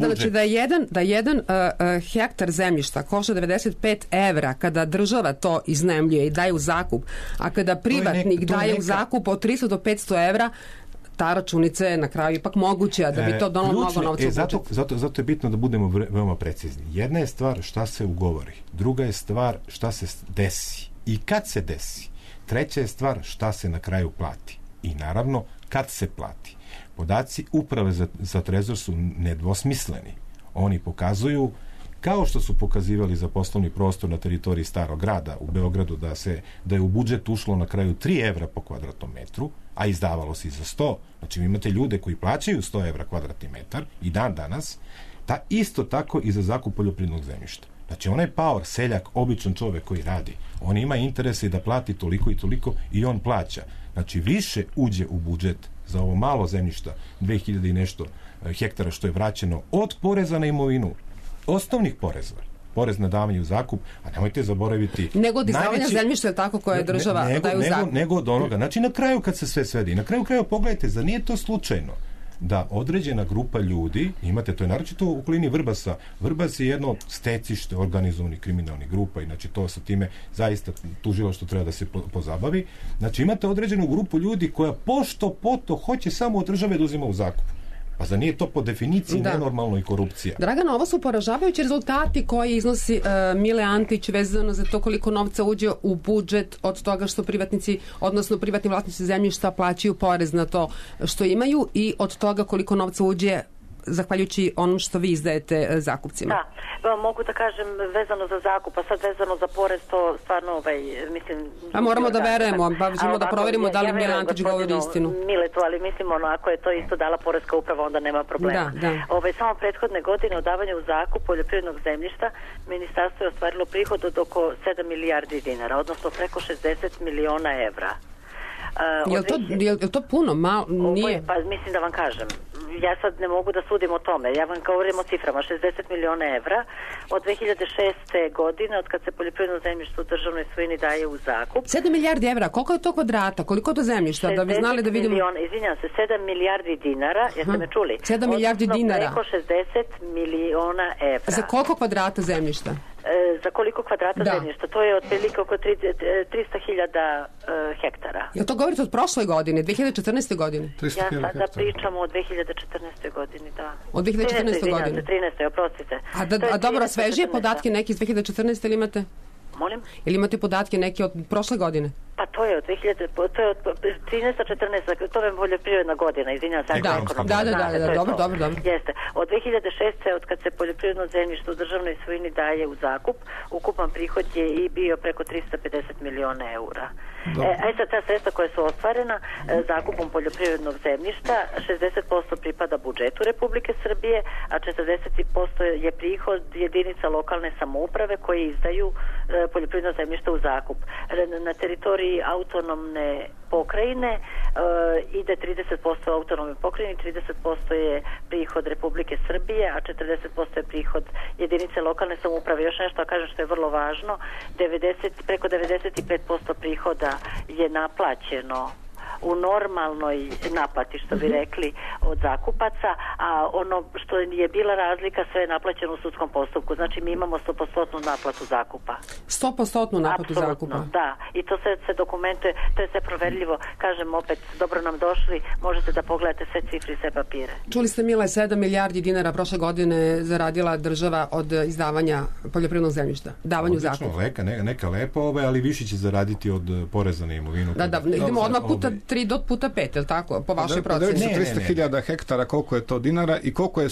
da jedan hektar zemljišta košta 95 evra kada država to iznajmljuje i daje u zakup, a kada privatnik daje u zakup od 300 do 500 evra, ta računica je na kraju ipak moguća da bi to donalo mnogo novca u budžet. Zato je bitno da budemo veoma precizni. Jedna je stvar šta se ugovori, druga je stvar šta se desi i kad se desi. Treća je stvar šta se na kraju plati. I naravno, kad se plati. Podaci Uprave za trezor su nedvosmisleni. Oni pokazuju, kao što su pokazivali za poslovni prostor na teritoriji Starog grada u Beogradu, da je u budžet ušlo na kraju 3 evra po kvadratnom metru, a izdavalo se i za 100. Znači, vi imate ljude koji plaćaju 100 evra kvadratni metar i dan danas, isto tako i za zakup poljoprivrednog zemljišta. Znači, onaj paor, seljak, običan čovek koji radi, on ima interese da plati toliko i toliko i on plaća. Znači, više uđe u budžet za ovo malo zemljišta, 2000 i nešto hektara što je vraćeno od poreza na imovinu, osnovnih poreza, porez na davanje u zakup, a nemojte zaboraviti... Nego od izdavanja zemljišta, tako, koje država daje u zakup. Nego od onoga. Znači, na kraju kad se sve svedi, na kraju pogledajte, za nije to slučajno da određena grupa ljudi, imate, to je naročito u okolini Vrbasa. Vrbas je jedno stecište organizovanih kriminalnih grupa, inače to sa time zaista tužilaštvo treba da se pozabavi. Znači, imate određenu grupu ljudi koja pošto poto hoće samo od države da uzima u zakup. Pa za nije to po definiciji nenormalno i korupcija? Dragana, ovo su poražavajući rezultati koji iznosi Mile Antić vezano za to koliko novca uđe u budžet od toga što privatnici, odnosno privatni vlasnici zemljišta plaćaju porez na to što imaju i od toga koliko novca uđe zahvaljujući onom što vi izdajete zakupcima. Da, mogu da kažem vezano za zakup, a sad vezano za porez, to stvarno, mislim... A moramo da verujemo, ćemo da proverimo da li Mile Antić govori istinu. Miletu, ali mislim, ako je to isto dala poreska uprava, onda nema problema. Samo prethodne godine od davanja u zakup poljoprivrednog zemljišta, ministarstvo je ostvarilo prihod od oko 7 milijardi dinara, odnosno preko 60 miliona evra. Je to puno? Nije? Pa mislim da vam kažem. Ja sad ne mogu da sudim o tome. Ja vam govorim o ciframa. 60 miliona evra od 2006. godine, od kad se poljoprivredno zemljište u državnoj svojini daje u zakup. 7 milijardi evra? Koliko je to kvadrata? Koliko je to zemljišta? Da bi znali da vidimo... Izvinjam se, 7 milijardi dinara. Jeste me čuli? 7 milijardi dinara. Preko 60 miliona evra. Za koliko kvadrata zemljišta? Za koliko kvadrata zemljišta? To je otprilike oko 300.000 hektara. Jel to govorite od prošle godine, 2014. godine? Ja sada pričam o 2014. godini, da. Od 2014. godine? 13. oprostite. A dobro, svežije podatke neki iz 2014. ili imate? Molim? Ili imate podatke neki od prošle godine? Pa to je od 13. 14. to je poljoprivredna godina, izvinjam se. Da, dobro. Jeste. Od 2006. od kad se poljoprivredno zemljište u državnoj svojini daje u zakup, ukupan prihod je i bio preko 350 miliona eura. Sad ta sredstva koja su ostvarena zakupom poljoprivrednog zemljišta, 60% pripada budžetu Republike Srbije, a 40% je prihod jedinica lokalne samouprave koje izdaju poljoprivredno zemljište u zakup. Na teritoriji autonomne pokrajine ide 30% autonomne pokrajine, 30% je prihod Republike Srbije, a 40% je prihod jedinice lokalne samouprave. Još nešto kažem što je vrlo važno, preko 95% prihoda je naplaćeno u normalnoj naplati, što bi rekli, od zakupaca, a ono što je bila razlika, sve je naplaćeno u sudskom postupku. Znači, mi imamo 100% naplatu zakupa. 100% naplatu zakupa? Da. I to se dokumentuje, to je sve proverljivo. Kažem opet, dobro nam došli, možete da pogledate sve cifre i sve papire. Čuli ste, Mile, 7 milijardi dinara prošle godine zaradila država od izdavanja poljoprivrednog zemljišta, davanju zakupa. Neka lepa, ali više će zaraditi od poreza na imovinu. Da, idemo odmah puta 3 do puta 5, je li tako? Po vašoj proceni. 300.000 hektara, koliko je to dinara i koliko je,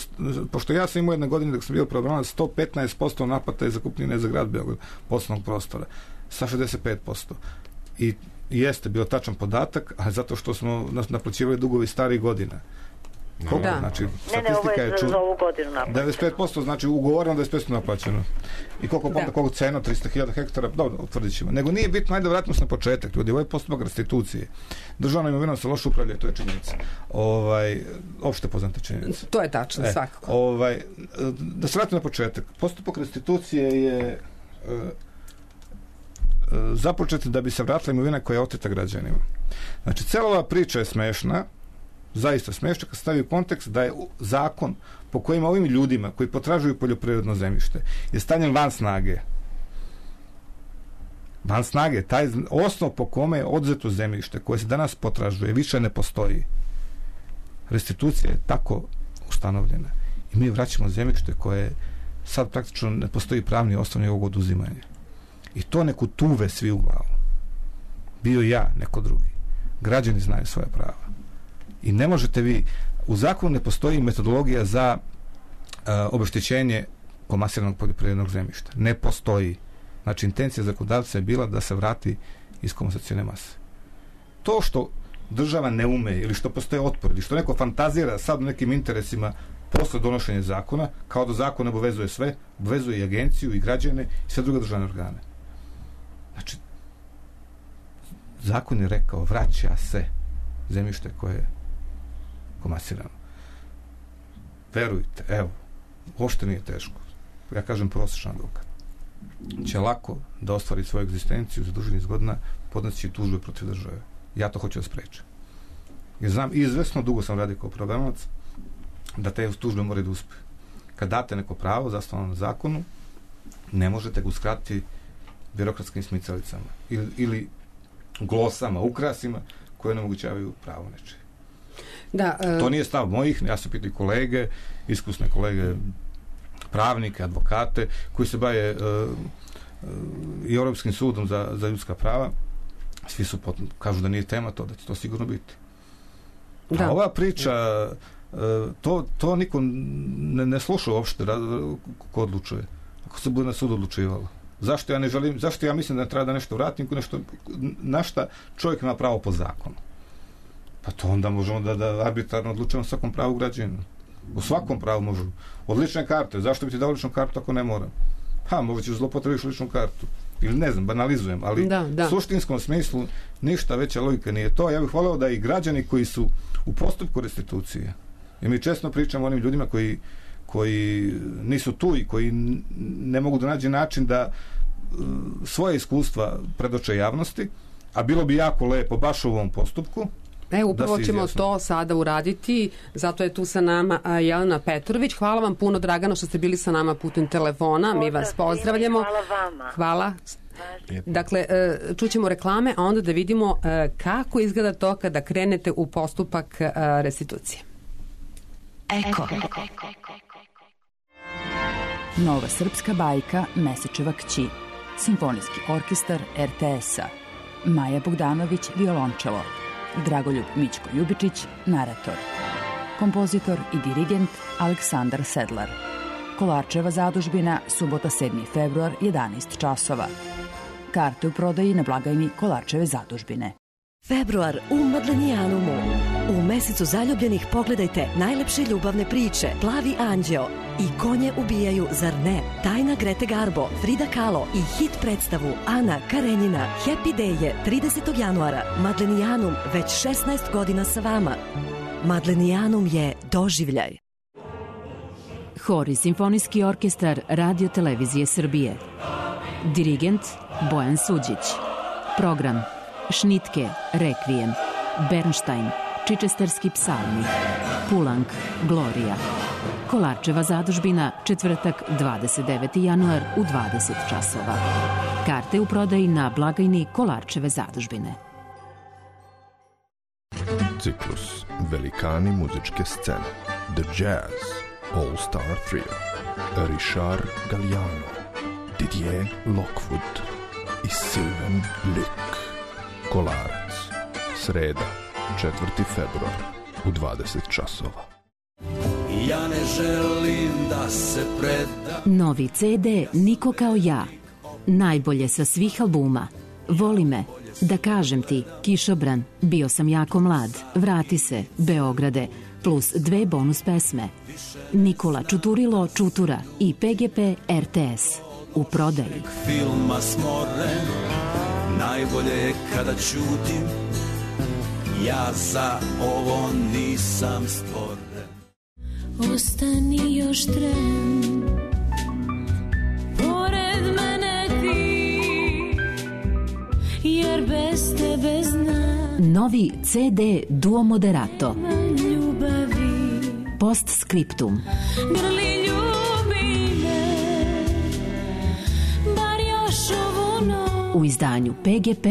pošto ja sam imao jedne godine dok sam bio programac, 115% naplata je zakupnine za grad Beograd, poslovnog prostora, sa 65%. I jeste bio tačan podatak, a zato što smo naplaćivali dugovi starih godina. Znači, statistika je za ovu godinu naplaćeno. 95%, znači ugovoreno 95% naplaćeno. I koliko cena, 300.000 hektara, dobro, utvrdit ćemo. Nego nije bitno, ajde vratimo se na početak, ljudi, ovo je postupak restitucije. Državna imovina se loše upravlja, to je činjenica. Opšte poznata činjenica. To je tačno, svakako. Da se vratimo na početak. Postupak restitucije je započet da bi se vratila imovina koja je oteta građanima. Znači, cela ova priča je smešna, zaista smešno kad stavi u kontekst da je zakon po kojima ovim ljudima koji potražuju poljoprivredno zemljište je stavljen van snage. Van snage, taj osnov po kome je odzeto zemljište koje se danas potražuje više ne postoji. Restitucija je tako ustanovljena i mi vraćamo zemljište koje sad praktično ne postoji pravni osnov ovog oduzimanja. I to neku tuve svi u glavu. bio ja, neko drugi. Građani znaju svoja prava. I ne možete vi, u zakonu ne postoji metodologija za obeštećenje komasiranog poljoprivrednog zemljišta. Ne postoji. Znači, intencija zakonodavca je bila da se vrati iz komasacione mase. To što država ne ume ili što postoje otpor ili što neko fantazira sad u nekim interesima posle donošenja zakona, kao da zakon obavezuje sve, obavezuje i agenciju i građane i sve druge državne organe. Znači, zakon je rekao, vraća se zemljište koje je komasirano. Verujte, evo, uopšte nije teško. Ja kažem, prosječan advokat će lako da ostvari svoju egzistenciju za duži niz godina, podneći tužbe protiv države. Ja to hoću da sprečim. Jer znam, izvesno dugo sam radio kao pravobranilac, da te tužbe moraju da uspe. Kad date neko pravo zasnovano na zakonu, ne možete ga uskratiti birokratskim smicalicama ili glosama, ukrasima koje onemogućavaju pravo nečije. Da, to nije stav mojih, ja sam pitao kolege, iskusne kolege, pravnike, advokate, koji se bave i Europskim sudom za ljudska prava. Svi su kažu da nije tema to, da će to sigurno biti. Da. A ova priča, to niko ne sluša uopšte ko odlučuje. Ako se bude na sudu odlučivalo. Zašto ja mislim da treba da nešto vratim, na šta čovjek ima pravo po zakonu? Pa to onda možemo da arbitrarno odlučujemo svakom pravu građaninu. U svakom pravu možemo. Od lične karte. Zašto bi ti dao ličnu kartu ako ne moram? Možda ćeš zlopotrebiš ličnu kartu. Ili ne znam, banalizujem, ali u suštinskom smislu ništa veća logika nije to. Ja bih voleo da i građani koji su u postupku restitucije, jer mi često pričamo o onim ljudima koji nisu tu i koji ne mogu da nađe način da svoje iskustva predoče javnosti, a bilo bi jako lepo baš u ovom postupku. Upravo ćemo to sada uraditi, zato je tu sa nama Jelena Petrović. Hvala vam puno, Dragano, što ste bili sa nama putem telefona. Mi vas pozdravljamo. Hvala vama. Hvala. Dakle, čućemo reklame, a onda da vidimo kako izgleda to kada krenete u postupak restitucije. Eko. Nova srpska bajka Mesečeva kći. Simfonijski orkestar RTS-a. Maja Bogdanović, violončelo. Dragoljub Mićko Ljubičić, narator. Kompozitor i dirigent Aleksandar Sedlar. Kolarčeva zadužbina, subota 7. februar, 11 časova. Karte u prodaji na blagajni Kolarčeve zadužbine. Februar u Madlenijanumu. U mesecu zaljubljenih pogledajte najlepše ljubavne priče Plavi anđeo i Konje ubijaju, zar ne? Tajna Grete Garbo, Frida Kahlo i hit predstavu Ana Karenjina. Happy Day je 30. januara. Madlenijanum već 16 godina sa vama. Madlenijanum je doživljaj. Hor i simfonijski orkestar Radio Televizije Srbije. Dirigent Bojan Suđić. Program Šnitke, Rekvijem, Bernštajn, Čičesterski psalmi, Pulang, Glorija. Kolarčeva zadužbina, četvrtak, 29. januar u 20 časova. Karte u prodaji na blagajni Kolarčeve zadužbine. Ciklus Velikani muzičke scene. The Jazz All Star Trio. Richard Galliano, Didier Lockwood i Sylvain Luc. Kolarac. Sreda, 4. februar u 20 časova. Ja ne želim da se predam. Novi CD Niko kao ja. Najbolje sa svih albuma. Voli me, da kažem ti, Kišobran, bio sam jako mlad, vrati se, Beograde, plus 2 bonus pesme. Nikola Čuturilo Čutura i PGP RTS. U prodaji. Filma smoren, najbolje je kada ćutim, ja za ovo nisam stvoren. Ostani još tren, pored mene ti, jer bez tebe znam. Novi CD Duo Moderato. Ljubavi. Postscriptum. Grli ljubi me, bar još ovu noć. U izdanju PGP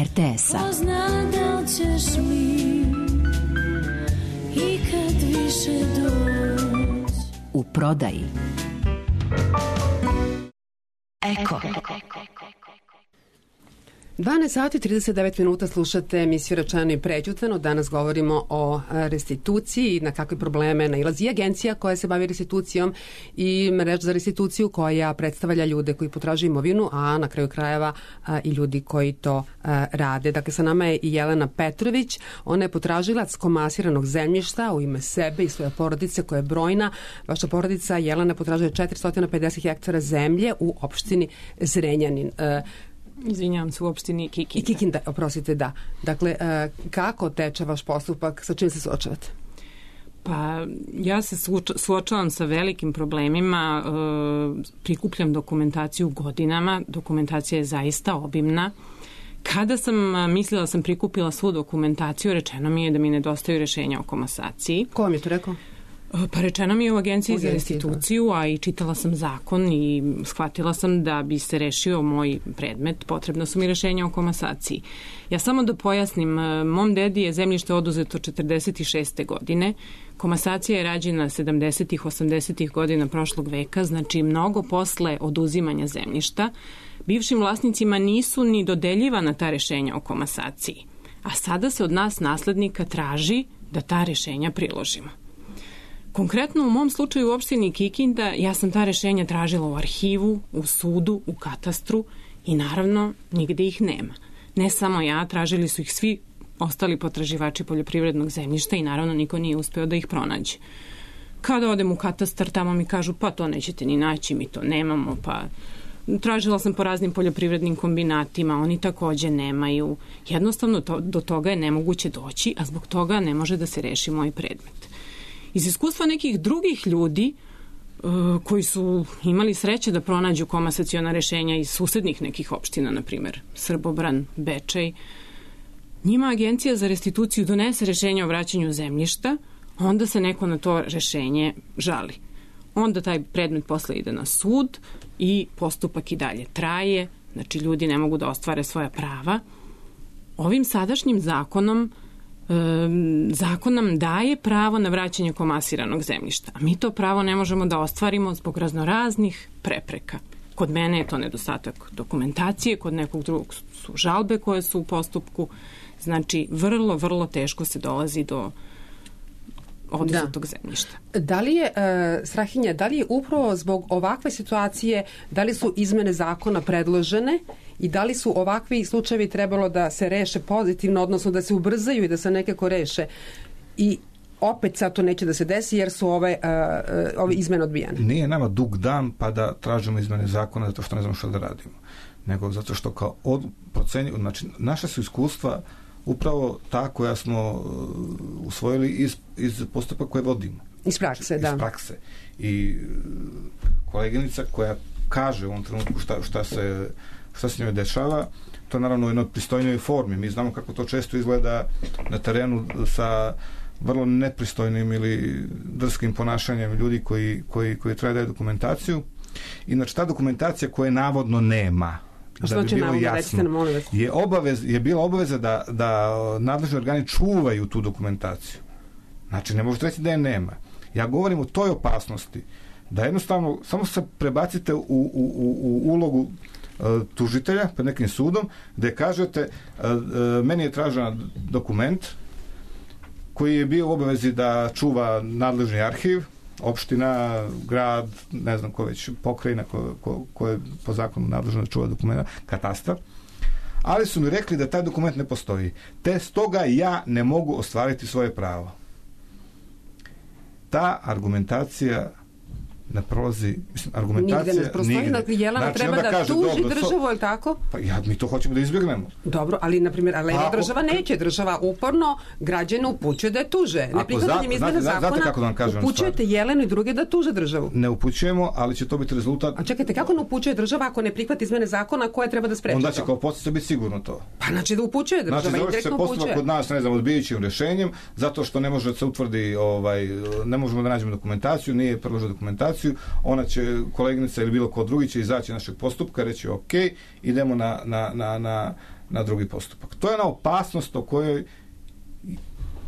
RTS-a. Ko zna da li ćeš mi ikad više doći. U prodaji. Eko. 12 sati 39 minuta slušate emisiju Rečeno i prećutano. Danas govorimo o restituciji, na kakve probleme nailazi agencija koja se bavi restitucijom i mreža za restituciju koja predstavlja ljude koji potražuju imovinu, a na kraju krajeva i ljudi koji to rade. Dakle, sa nama je i Jelena Petrović. Ona je potražilac komasiranog zemljišta u ime sebe i svoje porodice koja je brojna. Vaša porodica Jelena potražuje 450 hektara zemlje u opštini Zrenjanin. Izvinjavam se, u opštini Kikinda. Kikinda, oprostite, da. Dakle, kako teče vaš postupak, sa čim se suočavate? Pa ja se suočavam sa velikim problemima, prikupljam dokumentaciju godinama, dokumentacija je zaista obimna. Kada sam mislila da sam prikupila svu dokumentaciju, rečeno mi je da mi nedostaju rešenja o komasaciji. Ko vam je to rekao? Pa rečeno mi je u Agenciji za restituciju, a i čitala sam zakon i shvatila sam da bi se rešio moj predmet, potrebno su mi rešenja o komasaciji. Ja samo da pojasnim, mom dedi je zemljište oduzeto 46. godine, komasacija je rađena 70. 80. godina prošlog veka, znači mnogo posle oduzimanja zemljišta. Bivšim vlasnicima nisu ni dodeljivana ta rešenja o komasaciji, a sada se od nas naslednika traži da ta rešenja priložimo. Konkretno u mom slučaju u opštini Kikinda ja sam ta rešenja tražila u arhivu, u sudu, u katastru i naravno nigde ih nema. Ne samo ja, tražili su ih svi ostali potraživači poljoprivrednog zemljišta i naravno niko nije uspeo da ih pronađe. Kada odem u katastar, tamo mi kažu pa to nećete ni naći, mi to nemamo, pa tražila sam po raznim poljoprivrednim kombinatima, oni takođe nemaju. Jednostavno do toga je nemoguće doći, a zbog toga ne može da se reši moj predmet. Iz iskustva nekih drugih ljudi koji su imali sreće da pronađu komasaciona rešenja iz susednih nekih opština, na primjer Srbobran, Bečej, njima Agencija za restituciju donese rešenje o vraćanju zemljišta, onda se neko na to rešenje žali. Onda taj predmet posle ide na sud i postupak i dalje traje, znači ljudi ne mogu da ostvare svoja prava. Ovim sadašnjim zakonom zakon nam daje pravo na vraćanje komasiranog zemljišta, a mi to pravo ne možemo da ostvarimo zbog raznoraznih prepreka. Kod mene je to nedostatak dokumentacije, kod nekog drugog su žalbe koje su u postupku, znači vrlo, vrlo teško se dolazi do oduzetog zemljišta. Da li je, Strahinja, da li je upravo zbog ovakve situacije, da li su izmene zakona predložene i da li su ovakvi slučajevi trebalo da se reše pozitivno, odnosno da se ubrzaju i da se nekako reše i opet sad to neće da se desi jer su ove izmene odbijane? Nije nama dug dan pa da tražimo izmene zakona zato što ne znamo što da radimo, nego zato što kao procenju, znači naša su iskustva upravo ta koja smo usvojili iz postupka koje vodimo. Iz prakse, da. Iz prakse. I koleginica koja kaže u ovom trenutku šta se njoj dešava, to je naravno u jednoj pristojnoj formi. Mi znamo kako to često izgleda na terenu sa vrlo nepristojnim ili drskim ponašanjem ljudi koji treba da daju dokumentaciju. I znači ta dokumentacija koje navodno nema, da bi bilo jasno, je bila obaveza da nadležni organi čuvaju tu dokumentaciju. Znači, ne možete reći da je nema. Ja govorim o toj opasnosti, da jednostavno samo se prebacite u ulogu tužitelja pred nekim sudom, gde kažete meni je tražen dokument koji je bio u obavezi da čuva nadležni arhiv, opština, grad, ne znam ko već, pokrajina ko je po zakonu nadležno da čuva dokumenta, katastar, ali su mi rekli da taj dokument ne postoji. Te stoga ja ne mogu ostvariti svoje pravo. Ta argumentacija ne prolazi, argumentacija nigde ne prostoji, dakle Jelena treba da tuži državu, ili tako? Pa mi to hoćemo da izbjegnemo. Dobro, ali na primjer, država neće, država uporno građane upućuje da je tuže. Ne prihvatanjem izmena zakona upućujete Jelenu i druge da tuže državu. Ne upućujemo, ali će to biti rezultat. A čekajte, kako ne upućuje država ako ne prihvati izmene zakona koje treba da spreči to? Onda će kao podsjeća biti sigurno to. Pa znači da upućuje država, znači, indirektno upućuje. Postupak kod nas, ne znam, odbijajućim rešenjem, zato što ne može da se utvrdi, ne možemo da nađemo dokumentaciju, nije predložila dokumentaciju, ona će, koleginica ili bilo ko drugi će izaći našeg postupka, reći ok, idemo na drugi postupak. To je ona opasnost o kojoj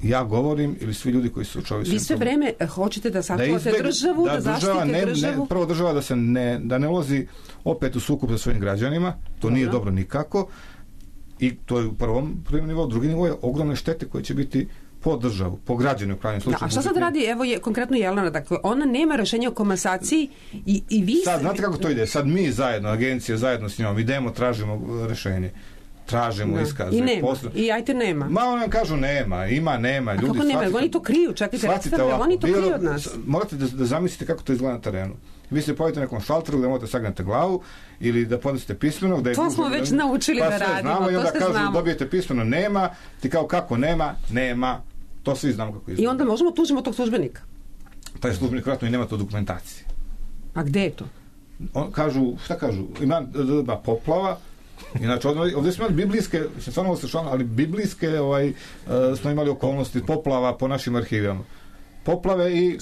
ja govorim ili svi ljudi koji su učovili. Vi sve vreme hoćete da sačuvate državu, da zaštite državu? Prvo država da ne ulazi opet u sukob sa svojim građanima, to nije dobro nikako. I to je u prvom nivou. Drugi nivo je ogromne štete koje će biti po državu, po građanu u krajnjem slučaju. A šta sad radi, evo je konkretno Jelena, dakle, ona nema rešenja o komasaciji i vi... Sad, znate kako to ide? Sad mi zajedno, agencija zajedno s njom, idemo, tražimo rešenje. Tražimo iskaze. I nema. I ajte nema. Ma oni nam kažu nema, nema. Ljudi, kako nema? Oni to kriju, čekajte, oni to kriju od nas. Morate da zamislite kako to izgleda na terenu. Vi se pojavite na nekom šalteru gde morate sagnete glavu ili da podnesete pismeno. To smo već naučili da radimo. Znamo, i onda kažu dobijete pismeno nema, ti kao kako nema. To svi znamo kako izgleda. I onda možemo tužimo tog službenika. Taj službenik vratno i nema to dokumentacije. A gde je to? Šta kažu? Ima poplava. Inače, ovdje smo imali biblijske, ali biblijske smo imali okolnosti poplava po našim arhivama. Poplave i...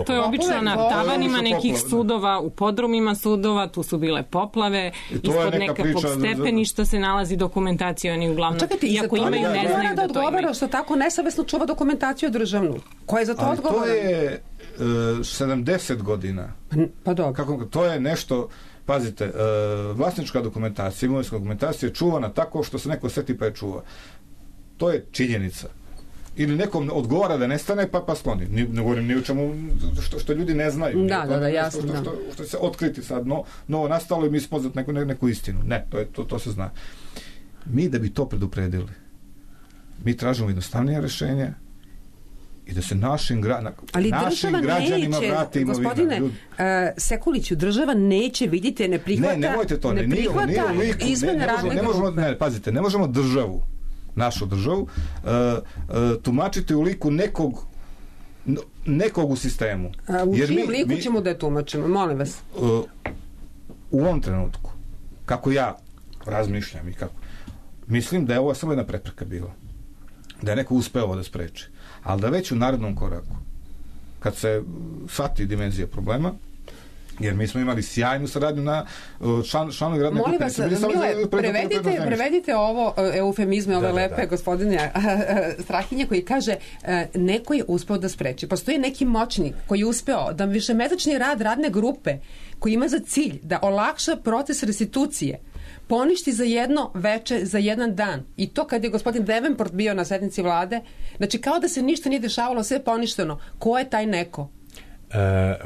To je obično na tavanima nekih sudova, u podrumima sudova, tu su bile poplave, ispod nekakvog stepeništa se nalazi dokumentacija, oni uglavnom, iako imaju, ne znaju da to imaju. Što tako nesavesno čuva dokumentaciju državnu. Ko je za to odgovoran? To je 70 godina. Pa dobro. To je nešto... Pazite, vlasnička dokumentacija, imovinska dokumentacija je čuvana tako što se neko seti pa je čuva. To je činjenica. Ili nekom odgovara da nestane pa skloni. Ne govorim ni u čemu što ljudi ne znaju. Da, jasno. Što se otkriti sad novo nastalo i mi spoznat neku istinu. Ne, to se zna. Mi da bi to predupredili, mi tražimo jednostavnije rešenje i da se našim građanima vrati imovina. Gospodine Sekuliću, država neće, vidite, ne prihvata... Ne, nemojte to. Ne prihvata izmene radne grupe. Pazite, ne možemo državu, našu državu, tumačiti u liku nekog u sistemu. U čijem liku ćemo da je tumačimo? Molim vas. U ovom trenutku, kako ja razmišljam i kako, mislim da je ovo samo jedna prepreka bila. Da je neko uspeo ovo da spreči. Ali da već u narednom koraku, kad se shvati dimenzija problema, jer mi smo imali sjajnu saradnju na članovi radne grupe. Molim vas, Mile, prevedite ovo eufemizme, ove lepe gospodine Strahinje, koji kaže neko je uspeo da spreči. Postoji neki moćnik koji je uspeo da višemesečni rad radne grupe koji ima za cilj da olakša proces restitucije poništi za jedno veče, za jedan dan. I to kad je gospodin Davenport bio na sednici vlade, znači kao da se ništa nije dešavalo, sve je poništeno. Ko je taj neko?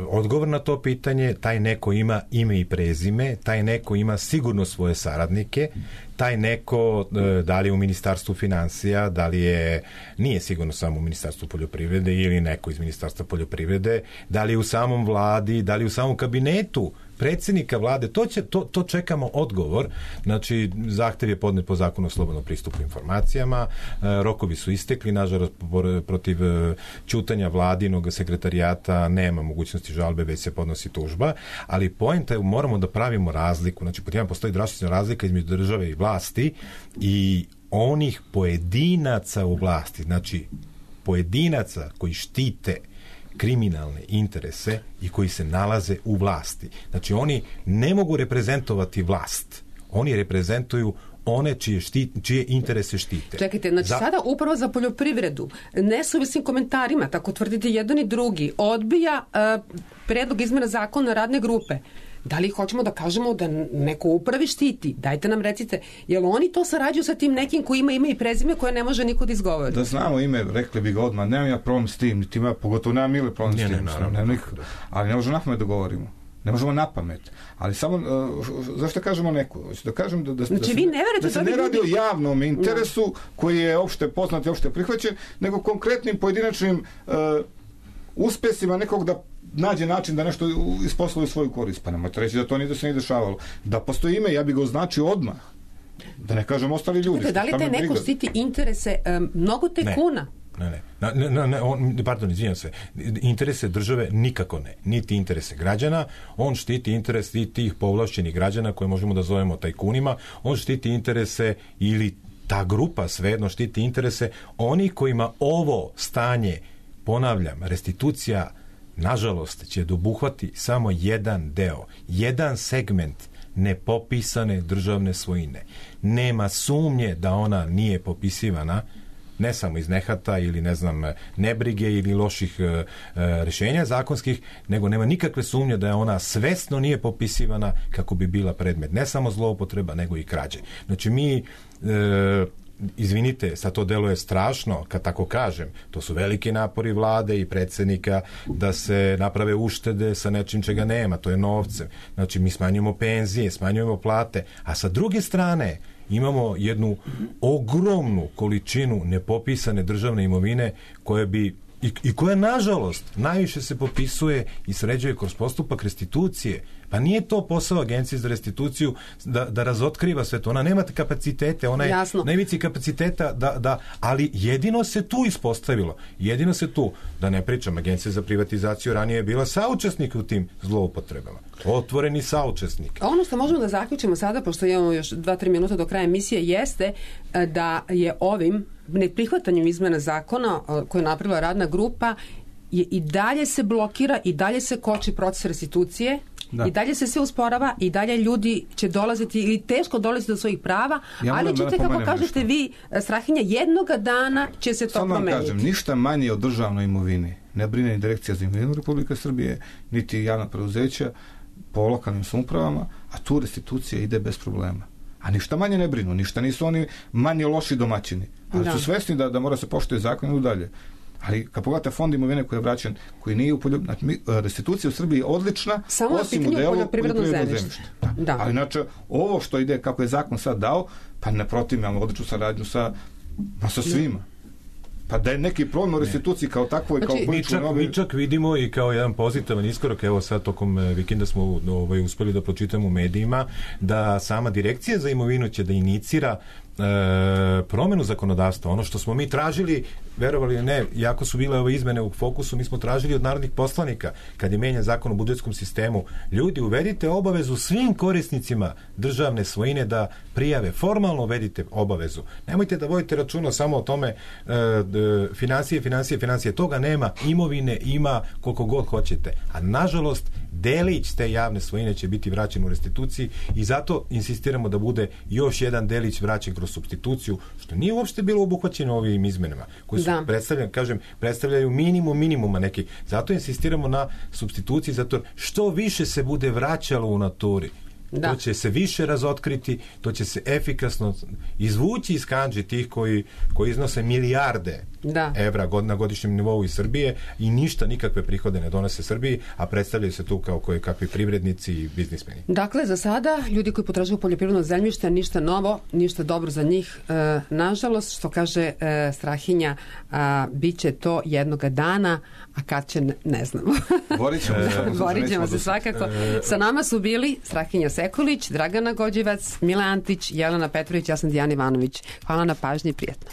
Odgovor na to pitanje, taj neko ima ime i prezime, taj neko ima sigurno svoje saradnike, taj neko, da li je u Ministarstvu finansija, da li je, nije sigurno samo u Ministarstvu poljoprivrede ili neko iz Ministarstva poljoprivrede, da li je u samom vladi, da li je u samom kabinetu predsjednika vlade, to čekamo odgovor. Znači, zahtev je podnet po zakonu o slobodnom pristupu informacijama, rokovi su istekli, nažalost, protiv ćutanja vladinog sekretarijata nema mogućnosti žalbe, već se podnosi tužba, ali poenta je, moramo da pravimo razliku. Znači, pod jedan postoji drastična razlika između države i vlasti i onih pojedinaca u vlasti, znači pojedinaca koji štite kriminalne interese i koji se nalaze u vlasti. Znači, oni ne mogu reprezentovati vlast. Oni reprezentuju one čije interese štite. Čekajte, znači sada upravo za poljoprivredu nesuvisnim komentarima, tako tvrdite jedan i drugi, odbija predlog izmena zakona radne grupe. Da li hoćemo da kažemo da neko upravi štiti? Dajte nam recite, jel oni to sarađuju sa tim nekim koji ima ime i prezime koje ne može niko da izgovori? Da znamo ime, rekli bi ga odmah, nemam ja problem s tim, pogotovo nemam Mile problem s tim, ali ne možemo napamet da govorimo. Ne možemo napamet. Ali samo, zašto kažemo neko? Da kažem da se ne radi o javnom interesu koji je opšte poznat i opšte prihvaćen, nego konkretnim pojedinačnim uspesima nekog da nađe način da nešto isposluje svoju korist. Pa nemojte reći da to da se nije dešavalo. Da postoji ime, ja bih ga označio odmah. Da ne kažem ostali ljudi. Da li te neko štiti interese mnogo tajkuna? Pardon, izvinjam se. Interese države nikako ne. Niti interese građana. On štiti interese tih povlašćenih građana koje možemo da zovemo tajkunima. On štiti interese ili ta grupa svejedno štiti interese onih kojima ovo stanje, ponavljam, restitucija nažalost će dobuhvati samo jedan deo, jedan segment nepopisane državne svojine. Nema sumnje da ona nije popisivana ne samo iz nehata ili ne znam nebrige ili loših rješenja zakonskih, nego nema nikakve sumnje da je ona svesno nije popisivana kako bi bila predmet ne samo zloupotreba nego i krađe. Znači mi izvinite, sad to deluje strašno kad tako kažem, to su veliki napori vlade i predsjednika da se naprave uštede sa nečim čega nema, to je novcem. Znači mi smanjujemo penzije, smanjujemo plate, a sa druge strane imamo jednu ogromnu količinu nepopisane državne imovine koje bi i koja nažalost najviše se popisuje i sređuje kroz postupak restitucije. Pa nije to posao Agencije za restituciju da razotkriva sve to. Ona nema kapacitete, ona je najvici kapaciteta ali jedino se tu ispostavilo. Jedino se tu, da ne pričam, Agencija za privatizaciju ranije je bila saučesnik u tim zloupotrebama. Otvoreni saučesnik. Ono što možemo da zaključimo sada, pošto imamo još 2-3 minuta do kraja emisije, jeste da je ovim neprihvatanjem izmena zakona koje je napravila radna grupa i dalje se blokira i dalje se koči proces restitucije. Da. I dalje se sve usporava i dalje ljudi će dolaziti ili teško dolaziti do svojih prava, ali ćete, kako kažete vi, Strahinja, jednoga dana će se to promeniti. Samo kažem, ništa manje od državnoj imovini ne brine ni Direkcija za imovinu Republike Srbije, niti javna preduzeća po lokalnim samoupravama, a tu restitucija ide bez problema. A ništa manje ne brinu, ništa nisu oni manje loši domaćini. Ali su svesni da mora se poštuje zakon i dalje. Ali kad pogledate fond imovine koji je vraćen, koji nije u restitucija u Srbiji je odlična, samo osim u delu poljoprivrednog zemljišta. Da. Ali znači, ovo što ide, kako je zakon sad dao, pa ne protivim, ali odličnu saradnju sa svima. Pa da je neki problem u restituciji kao takvoj, kao političnoj... Mi čak vidimo i kao jedan pozitivan iskorak, evo sad tokom vikenda smo uspeli da pročitamo u medijima, da sama Direkcija za imovinu će da inicira promenu zakonodavstva. Ono što smo mi tražili, verovali ili ne, jako su bile ove izmene u fokusu, mi smo tražili od narodnih poslanika, kad je menjan zakon o budžetskom sistemu, ljudi, uvedite obavezu svim korisnicima državne svojine da prijave, formalno uvedite obavezu. Nemojte da vodite računa samo o tome financije, toga nema, imovine ima koliko god hoćete. A nažalost, delić te javne svojine će biti vraćen u restituciji i zato insistiramo da bude još jedan delić vraćen kroz supstituciju, što nije uopšte bilo obuhvaćeno ovim izmenama, koji su predstavljaju minimuma neki. Zato insistiramo na supstituciji, zato što više se bude vraćalo u naturi, to će se više razotkriti, to će se efikasno izvući iz kandži tih koji iznose milijarde evra na godišnjem nivou iz Srbije i ništa, nikakve prihode ne donose Srbiji, a predstavljaju se tu kao kakvi privrednici i biznismeni. Dakle, za sada, ljudi koji potražuju poljoprivredno zemljište, ništa novo, ništa dobro za njih. Nažalost, što kaže Strahinja, bit će to jednoga dana, a kad će, ne znamo. Borit ćemo se svakako. Sa nama su bili Strahinja Sekulić, Dragana Gođevac, Mile Antić, Jelena Petrović, ja sam Dijana Ivanović. Hvala na pažnji i prijatno.